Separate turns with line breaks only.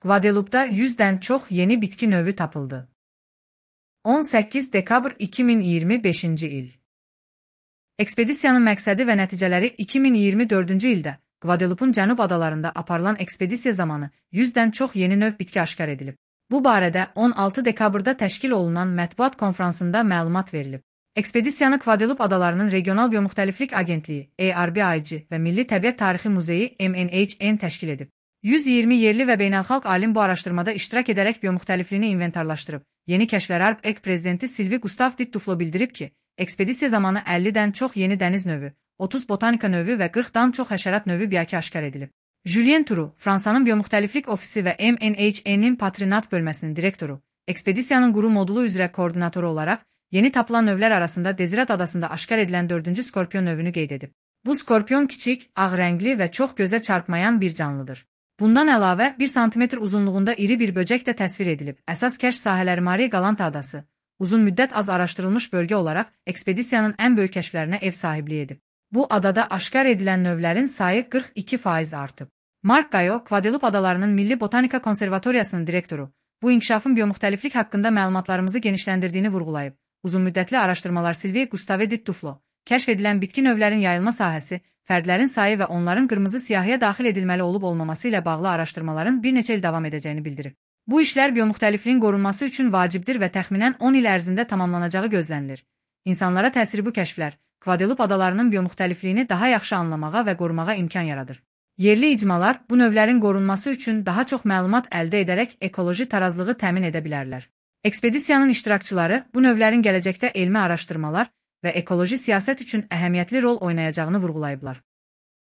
Guadeloupe'da 100'dən çox yeni bitki növü tapıldı. 18 dekabr 2025-ci il. Ekspedisiyanın məqsədi və nəticələri 2024-cü ildə Guadeloupe'un cənub adalarında aparılan ekspedisiya zamanı 100'dən çox yeni növ bitki aşkar edilib. Bu barədə 16 dekabrda təşkil olunan mətbuat konfransında məlumat verilib. Ekspedisiyanı Guadeloupe adalarının Regional Biomuxtəliflik Agentliyi (ARBIG) və Milli Təbiət Tarixi Muzeyi (MNHN) təşkil edib. 120 yerli və beynəlxalq alim bu araşdırmada iştirak edərək biomuxtəlifliyini inventarlaşdırıb. Yeni kəşflər ARBIG prezidenti Sylvie Gustave Duflo bildirib ki, ekspedisiya zamanı 50'dən çox yeni dəniz növü, 30 botanika növü və 40'dan çox həşərat növü biaki aşkar edilib. Julien Turu, Fransanın Biomuxtəliflik Ofisi və MNHN-in Patrinat bölməsinin direktoru, ekspedisiyanın quru modulu üzrə koordinatoru olaraq, yeni tapılan növlər arasında Desirat adasında aşkar edilən 4-cü skorpion növünü qeyd edib. Bu skorpion kiçik, ağ rəngli və çox gözə çarpmayan bir canlıdır. Bundan əlavə 1 sm uzunluğunda iri bir böcək də təsvir edilib. Əsas kəşf sahələri Marie Galante adası, uzun müddət az araşdırılmış bölgə olaraq ekspedisiyanın ən böyük kəşflərinə ev sahibliyi edib. Bu adada aşkar edilən növlərin sayı 42% artıb. Mark Gayo, Guadeloupe adalarının Milli Botanika Konservatoriyasının direktoru, bu inkişafın biomuxtəliflik haqqında məlumatlarımızı genişləndirdiyini vurğulayıb. Uzunmüddətli araşdırmalar Sylvie Gustave Duflo, kəşf edilən bitki növlərin yayılma sahəsi, fərdlərin sayı və onların qırmızı siyahıya daxil edilməli olub-olmaması ilə bağlı araşdırmaların bir neçə il davam edəcəyini bildirib. Bu işlər biomuxtəlifliyin qorunması üçün vacibdir və təxminən 10 il ərzində tamamlanacağı gözlənilir. İnsanlara təsiri bu kəşflər, Guadeloupe adalarının biomuxtəlifliyini daha yaxşı anlamağa və qorumağa imkan yaradır. Yerli icmalar bu növlərin qorunması üçün daha çox məlumat əldə edərək ekoloji tarazlığı təmin edə bilərlər. Ekspedisiyanın iştirakçıları bu növlərin gələcəkdə elmi araşdırmalar və ekoloji siyasət üçün əhəmiyyətli rol oynayacağını vurğulayıblar.